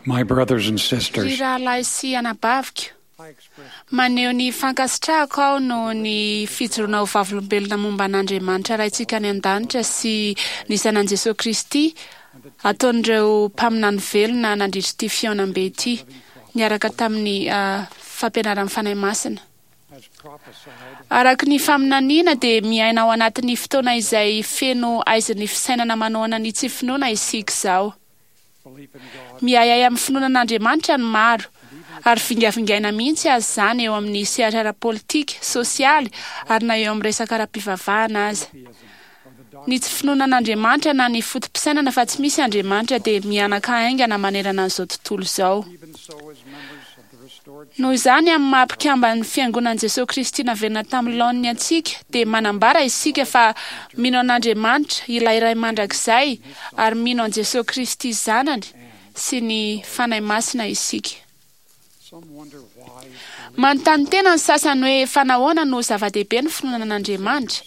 My brothers and Ry sisters, rahalahy sy anabaviko, maneho ny fankasitrahako aho noho ny fijoroana ho vavolombelona momba an'Andriamanitra Raintsika any an-danitra sy ny Zanany Jesoa Kristy ataon'ireo mpaminany velona nandritra ity fihaonambe ity, niaraka tamin'ny fampianaran'ny Fanahy Masina. Araka ny faminaniana dia miaina ao anatin'ny fotoana izay feno aizin'ny fisainana manohana ny tsy finoana isika izao. Miahiahy amin'ny finoana an'Andriamanitra ny maro, ary vingavingaina mihitsy aza izany eo amin'ny sehatra ara-politika, sosialy, ary na eo amin'ny resaka ara-pivavahana aza. Ny tsy finoana an'Andriamanitra na ny foto-pisainana fa tsy misy Andriamanitra dia mihanaka haingana manerana an'izao tontolo izao. Noho izany, amin'ny maha mpikamban'ny Fiangonan'i Jesoa Kristy naverina tamin'ny laoniny antsika, dia manambara isika fa mino an'Andriamanitra, ilay Ray Mandrakizay, ary mino an'i Jesoa Kristy Zanany sy ny Fanahy Masina isika. Manontany tena ny sasany hoe fa nahoana no zava-dehibe ny finoana an'Andriamanitra?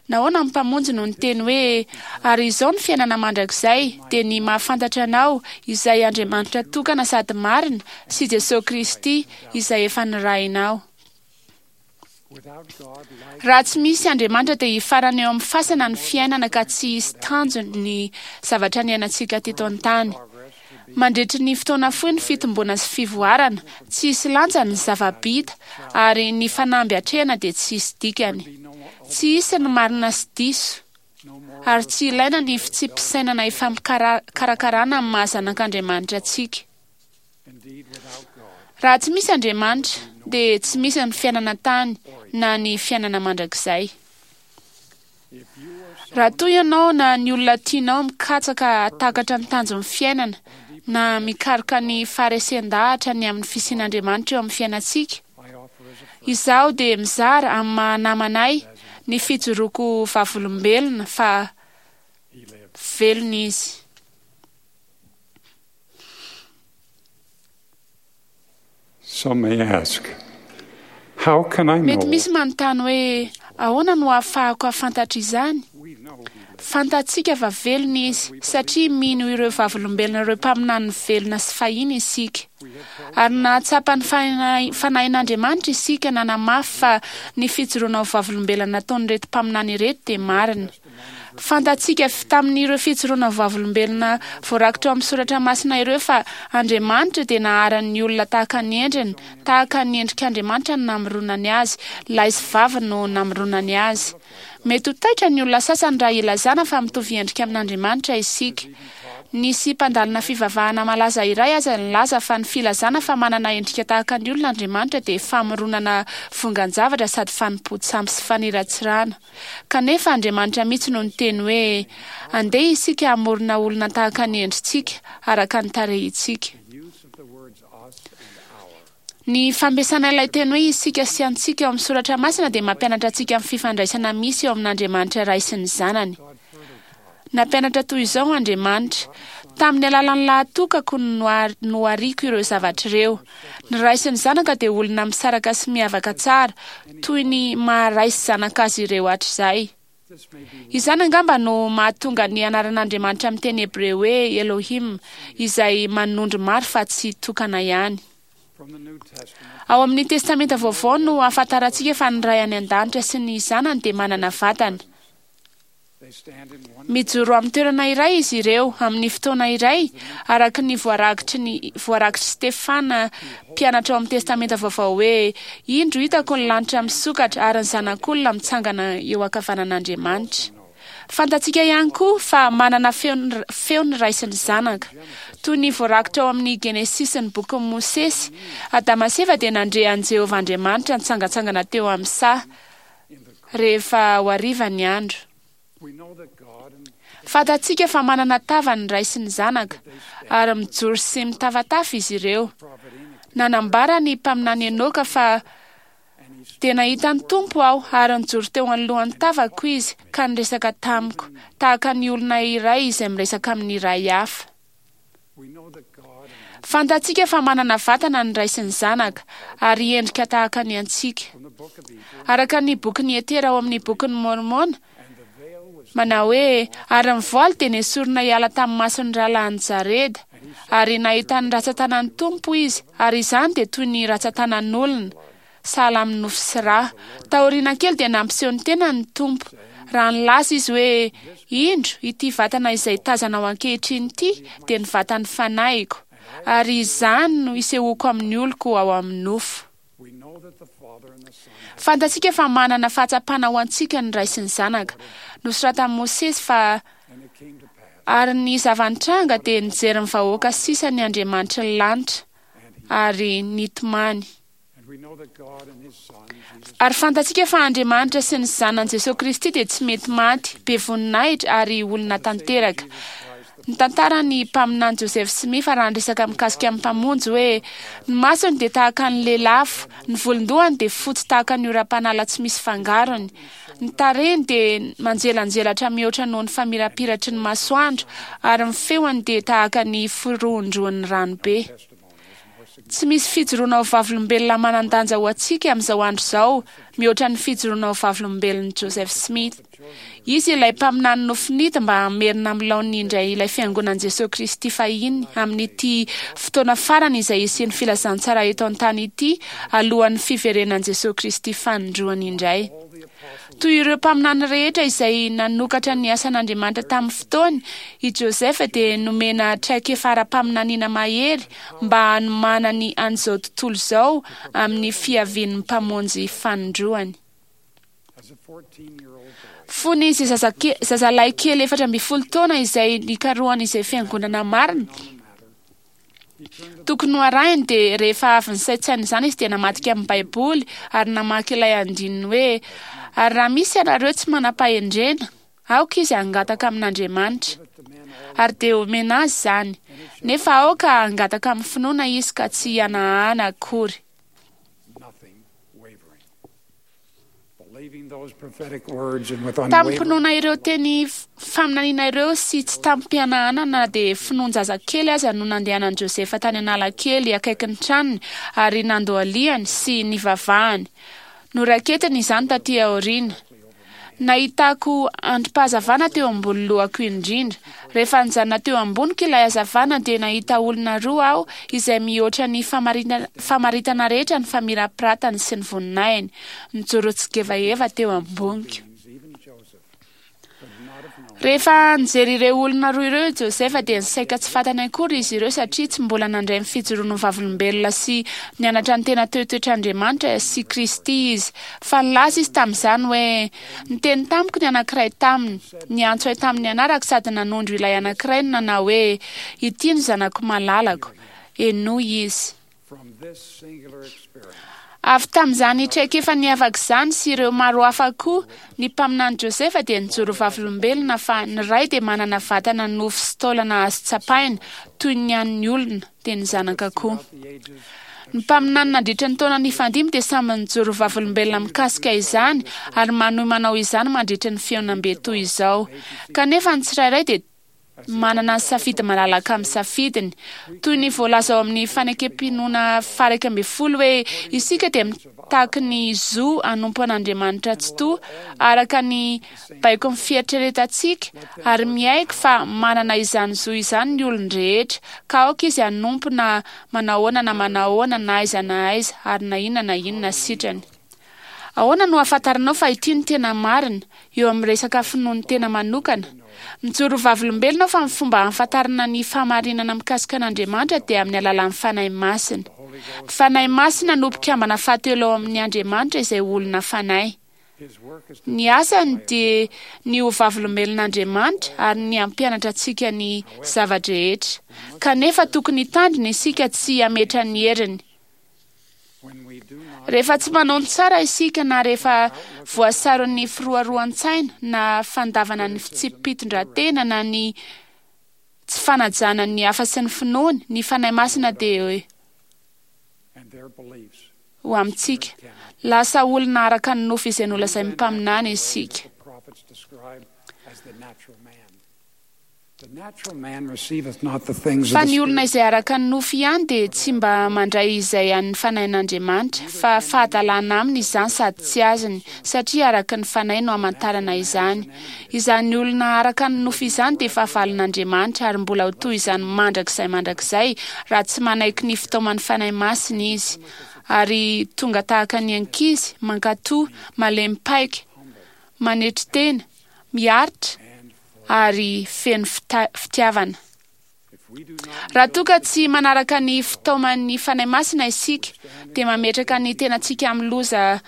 Nahoana ny Mpamonjy no niteny hoe, Ary izao ny fiainana mandrakizay, dia ny mahafantatra Anao, izay Andriamanitra tokana sady marina, sy Jesoa Kristy, izay efa nirahinao. Raha tsy misy Andriamanitra dia hifarana eo amin'ny fasana ny fiainana ka tsy hisy tanjony ny zavatra niainantsika teto an-tany. Mandritry ny fotoana fohy ny fitomboana sy fivoarana, tsy hisy lanjany ny zava-bita ary ny fanamby atrehina dia tsy hisy dikany. Tsy hisy ny marina sy diso, ary tsy ilaina ny fitsipi-pisainana ifampikarakarana amin'ny maha zanak'Andriamanitra antsika. Raha tsy misy Andriamanitra, dia tsy misy ny fiainana an-tany na ny fiainana mandrakizay. Raha toa ianao na ny olona tianao mikatsaka hahatakatra ny tanjon'ny fiainana na mikaroka ny faharesen-dahatra ny amin'ny fisian'Andriamanitra eo amin'ny fiainantsika, izaho dia mizara amin'ny maha-namana ahy ny fijoroako vavolombelona fa velona Izy. Some may ask, How can I Mety know? misy manontany hoe, Ahoana no ahafahako hahafantatra izany? Fantatsika fa velona Izy, satria mino ireo vavolombelona ireo mpaminaniny velona sy fahiny isika. Ary nahatsapa ny Fanahin'Andriamanitra isika nanamafy fa ny fijoroana ho vavolombelona nataon'ireto mpaminany ireto dia marina. Fantatsika avy tamin'ireo fijoroana vavolombelona voarakitra ao amin'ny soratra masina ireo fa Andriamanitra dia naharan'ny olona tahaka ny endriny, tahaka ny endrik'Andriamanitra no namoronany azy, lahy sy vavy no namoronany azy. Mety ho taitra ny olona sasany raha ilazana fa mitovy endrika amin'Andriamanitra isika. Nisy mpandalina fivavahana malaza iray aza nilaza fa ny filazana fa manana endrika tahaka ny olona Andriamanitra dia famoronana vongan-javatra sady fanompoan-tsampy sy faniratsirana. Kanefa Andriamanitra mihitsy no niteny hoe, Andeha isika hamorona olona tahaka ny endritsika, araka ny tarehintsika. Ny fampiasana ilay teny hoe isika sy antsika ao amin'ny soratra masina dia mampianatra antsika ny fifandraisana misy eo amin'Andriamanitra Ray sy ny Zanany. Nampianatra toy izao Andriamanitra, Tamin'ny alalan'ny lahatokako no nohariko ireo zavatra ireo. Ny Ray sy ny Zanaka dia olona misaraka sy miavaka tsara, toy ny maha Ray sy Zanaka azy ireo hatrizay. Izany angamba no mahatonga ny anaran'Andriamanitra amin'ny teny hebreo hoe Elohim, izay manondro maro fa tsy tokana ihany. Ao amin'ny Testamenta Vaovao no ahafantarantsika fa ny Ray any An-danitra sy ny Zanany dia manana vatana. Mijoro amin'ny toerana iray izy ireo amin'ny fotoana iray, araka ny voarakitry ny voarakitr'i Stefana mpianatra ao amin'ny Testamenta Vaovao hoe, Indro hitako ny lanitra misokatra ary ny Zanak'olona mitsangana eo ankavanan'Andriamanitra. Fantatsika ihany koa fa manana feo feo ny Ray sy ny Zanaka. Toy ny voarakitra ao amin'ny Genesisy ny bokin'i Mosesy, Adama sy Eva dia nandre an'i Jehovah Andriamanitra nitsangantsangana teo amin'ny saha. rehefa ho hariva ny andro. Fantatsika fa manana tava ny ray sy ny zanaka, ary mijoro sy mitafatafa izy ireo. Nanambara ny mpaminany Enoka fa Dia nahita ny Tompo aho, ary nijoro teo anoloan'ny tavako Izy, ka niresaka tamiko, tahaka ny olona iray izay miresaka amin'ny iray hafa. Fantatsika fa manana vatana ny Ray sy ny Zanaka, ary endrika tahaka ny antsika. Araka ny bokin'i Etera ao amin'ny Bokin'i Môrmôna, manao hoe, Ary ny voaly dia nesorina hiala tamin'ny mason'ny rahalahin'i Jareda. Ary nahita ny ratsan-tanan'ny Tompo izy, ary izany dia toy ny ratsan-tanan'olona, sahala amin'ny nofo sy rà. Taoriana kely dia nampiseho ny tenany ny Tompo, raha nilaza izy hoe, Indro, ity vatana izay tazanao ankehitriny ity dia ny vatan'ny fanahiko, ary izany no isehoako amin'ny oloko ao amin'ny nofo. Fantatsika fa manana fahatsapana ho antsika ny Ray sy ny Zanaka. Nosoratan'i Mosesy fa, Ary ny zava-nitranga dia nijery ny vahoaka sisa ny Andriamanitry ny lanitra, ary nitomany. Ary fantatsika fa Andriamanitra sy ny Zanany Jesoa Kristy dia tsy mety maty, be voninahitra ary olona tanteraka. Nitantara ny mpaminany Joseph Smith raha niresaka mikasika ny Mpamonjy hoe, Ny masony dia tahaka ny lelafo, ny volon-dohany dia fotsy tahaka ny oram-panala tsy misy fangarony, ny tarehiny dia manjelanjelatra mihoatra noho ny famirapiratry ny masoandro, ary ny feony dia tahaka ny firohondrohon'ny ranobe. Tsy misy fijoroana ho vavolombelona manan-danja ho antsika amin'izao andro izao mihoatra ny fijoroana ho vavolombelon'i Joseph Smith. Izy ilay mpaminany nofinidy mba hamerina amin'ny laoniny indray ilay Fiangonan'i Jesoa Kristy fahiny amin'ity fotoana farany izay hisian'ny filazantsara eto an-tany ity alohan'ny fiverenan'i Jesoa Kristy fanindroany indray. Toy ireo mpaminany rehetra izay nanokatra ny asan'Andriamanitra tamin'ny fotoany, i Joseph dia nomena traikefa ara-paminaniana mahery mba hanomanany an'izao tontolo izao amin'ny fiavian'ny Mpamonjy fanindroany. Fony izy zazalahy kely 14 taona izay nikarohany izay fiangonana marina, Tokony ho arahiny dia rehefa avy nisaintsaina izany izy dia namadika amin'ny Baiboly ary namaky ilay andininy hoe, Ary raha misy ianareo tsy manam-pahendrena, aoka izy hangataka amin'Andriamanitra, ary dia homena azy izany, nefa aoka hangataka amin'ny finoana izy ka tsy hihanahana akory. Tamim-pinoana ireo teny faminaniana ireo sy tsy tamim-pihanahana na dia finoan-jazakely aza no nandehanan'i Josefa tany Analakely akaikin'ny tranony ary nandohalihany sy nivavahany. Noraiketiny izany taty aoriana. Nahitako andrim-pahazavana teo ambony lohako indrindra. Rehefa nijanona teo amboniko ilay hazavana dia nahita olona roa aho izay mihoatra ny famaritana rehetra ny famirapiratany sy ny voninahiny, nijoro tsigevaheva teo amboniko. Rehefa nijery ireo olona roa ireo i Josefa dia nisaika tsy fantany akory izy ireo satria tsy mbola nandray ny fijoroany ho vavolombelona sy nianatra ny tena toetoetr'Andriamanitra sy Kristy izy. Fa nilaza izy tamin'izany hoe, Niteny tamiko ny anankiray taminy, niantso ahy tamin'ny anarako sady nanondro ilay anankiray no nanao hoe, Ity no zanako malalako, henoy izy. Avy tamin'izany traikefa niavaka izany sy ireo maro hafa koa, ny mpaminany Josefa dia nijoro vavolombelona fa ny Ray dia manana vatana nofo sy taolana azo tsapaina, toy ny an'ny olona, dia ny Zanaka koa. Ny mpaminany nandritra ny taona nifandimby dia samy nijoro vavolombelona mikasika izany ary manohy manao izany mandritra ny fihaonambe toy izao. Kanefa ny tsirairay dia manana ny safidy malalaka amin'ny safidiny. Toy ny voalaza ao amin'ny Fanekem-pinoana faha 11 hoe, Isika dia mitaky ny zo hanompo an'Andriamanitra Tsitoha araka ny baikon'ny fieritreretantsika ary miaiky fa manana izany zo izany ny olon-drehetra, ka aoka izy hanompo na manahoana na manahoana na aiza na aiza ary na inona na inona sitrany. Ahoana no ahafantaranao fa ity no tena marina, eo amin'ny resaka finoan'ny tena manokana? Mijoro ho vavolombelona aho fa ny fomba ahafantarana ny fahamarinana mikasika an'Andriamanitra dia amin'ny alalan'ny Fanahy Masina. Ny Fanahy Masina no mpikambana fahatelo ao amin'ny Andriamanitra izay olona fanahy. Ny asany dia ny ho vavolombelon'Andriamanitra ary ny hampianatra antsika ny zava-drehetra. Kanefa tokony hitandrina isika tsy hametra ny heriny. Rehefa tsy manao ny tsara isika na rehefa voasaron'ny firoaroan-tsaina na fandavana ny fitsipi-pitondran-tena na ny tsy fanajana ny hafa sy ny finoany, ny Fanahy Masina dia ho amintsika. Lasa olona araka ny nofo izay nolazain'ny mpaminany isika. Fa ny olona izay araka ny nofo ihany dia tsy mba mandray izay an'ny Fanahin'Andriamanitra, fa fahadalana aminy izany sady tsy azony, satria araka ny Fanahy no hamantarana izany. Izany olona araka ny nofo izany dia fahavalon'Andriamanitra, ary mbola ho toy izany mandrakizay mandrakizay raha tsy manaiky ny fitaoman'ny Fanahy Masina izy, ary tonga tahaka ny ankizy, mankatò, malemy paika, manetry tena, miaritra, ary feno fitiavana. Raha toa ka tsy manaraka ny fitaoman'ny Fanahy Masina isika, dia mametraka ny tenantsika amin'ny loza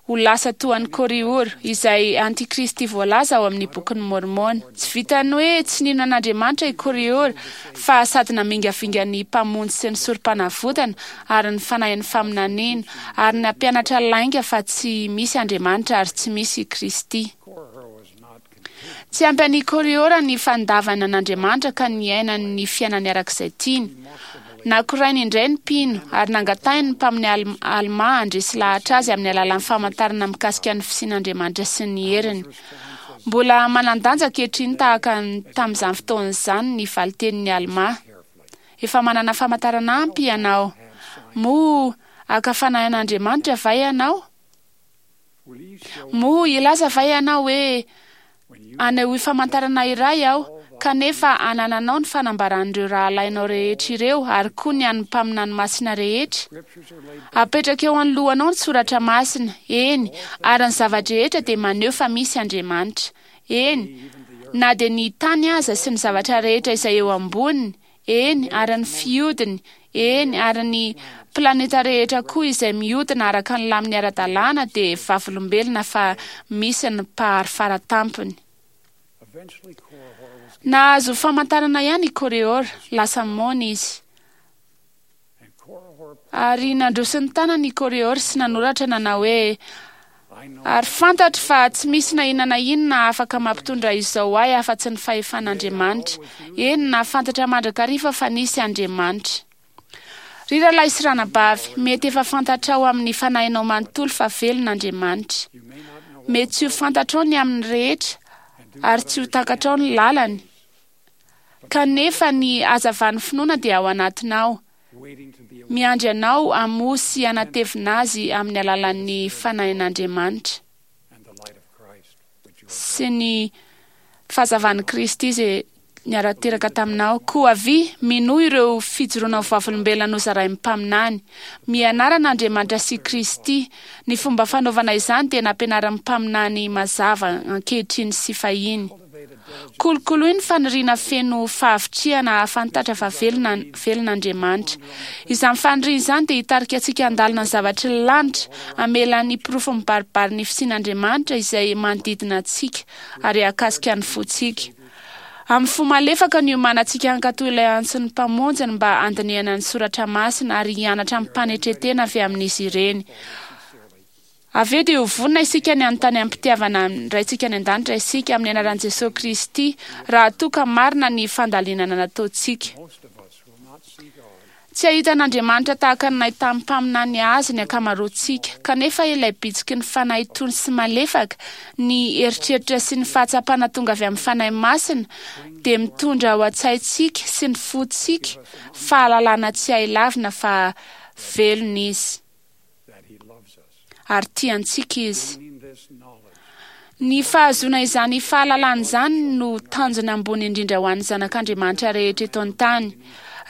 ho lasa toa an'i Kôrihôra, izay antikristy voalaza ao amin'ny Bokin'i Môrmôna. Tsy vitan'ny hoe tsy nino an'Andriamanitra i Kôrihôra, fa sady namingavinga ny Mpamonjy sy ny Sorompanavotana ary ny fanahin'ny faminaniana, ary nampianatra lainga fa tsy misy Andriamanitra ary tsy misy i Kristy. Tsy ampy an'i Kôrihôra ny fandavana an'Andriamanitra ka niainany ny fiainany araka izay tiany. Nakorainy indray ny mpino ary nangatahiny ny mpamin'ny Almà handresy lahatra azy amin'ny alalan'ny famantarana mikasika ny fisian'Andriamanitra sy ny heriny. Mbola manan-danja ankehitriny tahaka ny tamin'izany fotoana izany ny valin-tenin'i Almà. Efa manana famantarana ampy ianao. Moa haka fanahy an'Andriamanitra va ianao? Moa hilaza va ianao hoe, Anehoy famantarana iray aho, kanefa anananao ny fanambaran'ireo rahalahinao rehetra ireo ary koa ny an'ny mpaminany masina rehetra? Apetraka eo anoloanao ny soratra masina, eny, ary ny zava-drehetra dia maneho fa misy Andriamanitra. Eny, na dia ny tany aza sy ny zavatra rehetra izay eo amboniny, eny, ary ny fihodiny, eny, ary ny planeta rehetra koa izay mihodina araka ny laminy ara-dalàna dia vavolombelona fa misy ny Mpahary Faratampony. Nahazo famantarana ihany i Kôrihôra, lasa moana izy. Ary nandroso ny tanany i Kôrihôra sy nanoratra nanao hoe, Ary fantatro fa tsy misy na inona na inona afaka mampitondra izao ahy afa-tsy ny fahefan'Andriamanitra. Eny, nahafantatra mandrakariva fa nisy Andriamanitra. Ry rahalahy sy ranabavy, mety efa fantatrao amin'ny fanahinao manontolo fa velona Andriamanitra. Mety tsy ho fantatrao ny aminy rehetra ary tsy ho takatrao ny lalany, kanefa ny hazavan'ny finoana dia ao anatinao. Miandry anao hamoha sy hanatevina azy amin'ny alalan'ny Fanahin'Andriamanitra sy ny fahazavan'i Kristy izay niara-teraka taminao. Koa avia, minoa ireo fijoroana ho vavolombelona nozarain'ny mpaminany. Mianara an'Andriamanitra sy Kristy. Ny fomba fanaovana izany dia nampianarin'ny mpaminany mazava ankehitriny sy fahiny. Kolokoloy ny faniriana feno fahavitrihana hahafantatra fa velona velona Andriamanitra. Izany faniriana izany dia hitarika antsika handalina ny zavatry ny lanitra, hamela ny porofo mibaribary ny fisian'Andriamanitra izay manodidina antsika ary hahakasika ny fontsika. Amin'ny fo malefaka no iomanantsika hankatò ilay antson'ny Mpamonjiny mba handinihana ny soratra masina ary hianatra amim-panetren-tena avy amin'izy ireny. Avy eo dia ho vonona isika ny hanontany amim-pitiavana ny Raintsika any An-danitra isika, amin'ny anaran'i Jesoa Kristy, raha toa ka marina ny fandalinana nataontsika. Tsy hahita an'Andriamanitra tahaka ny nahitan'ny mpaminany Azy ny ankamaroantsika, kanefa ilay bitsiky ny Fanahy tony sy malefaka, ny eritreritra sy ny fahatsapana tonga avy amin'ny Fanahy Masina, dia mitondra ao an-tsaintsika sy ny fontsika fahalalana tsy hay lavina fa velona Izy. ary tia antsika Izy. Ny fahazoana izany fahalalana izany no tanjona ambony indrindra ho an'ny zanak'Andriamanitra rehetra eto an-tany.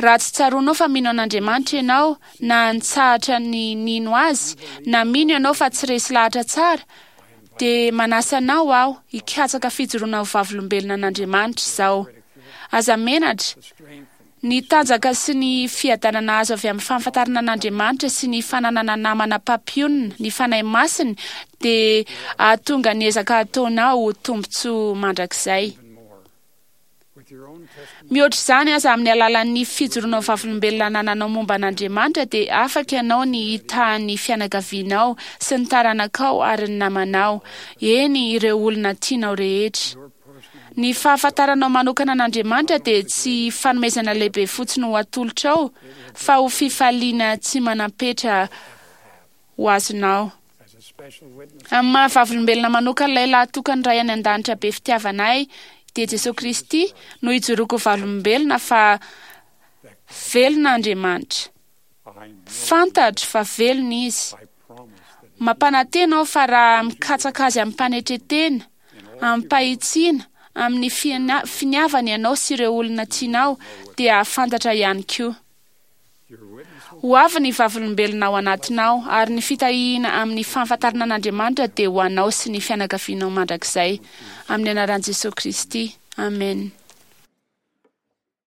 Raha tsy tsaroanao fa mino an'Andriamanitra ianao, na nitsahatra ny nino Azy, na mino ianao fa tsy resy lahatra tsara, dia manasa anao aho hikatsaka fijoroana ho vavolombelona an'Andriamanitra izao. Aza menatra. Ny tanjaka sy ny fiadanana azo avy amin'ny fahafantarana an'Andriamanitra sy ny fananana namana mpampionona, ny Fanahy Masiny, dia hahatonga ny ezaka ataonao ho tombontsoa mandrakizay. Mihoatra izany aza, amin'ny alalan'ny fijoroana ho vavolombelona anananao momba an'Andriamanitra, dia afaka ianao ny hitaha ny fianakavianao sy ny taranakao ary ny namanao, eny, ireo olona tianao rehetra. Ny fahafantaranao manokana an'Andriamanitra dia tsy fanomezana lehibe fotsiny ho atolotrao, fa ho fifaliana tsy manam-petra ho azonao. Amin'ny maha vavolombelona manokana ilay lahatokan'ny Ray any An-danitra be fitiavana ahy, dia Jesosy Kristy no ijoroako vavolombelona fa velona Andriamanitra. I know Fantatro fa velona Izy. I promise that Mampanantena aho fa raha mikatsaka azy amin'ny-panetretena, amim-pahitsiana, amin'ny finiavana ianao sy ireo olona tianao dia hahafantatra ihany koa. your witness will Ho avy ny vavolombelona ao anatinao ary ny fitahiana amin'ny fahafantarana an'Andriamanitra dia ho anao sy ny fianakavianao mandrakizay. Amin'ny anaran'i Jesosy Kristy. Amen.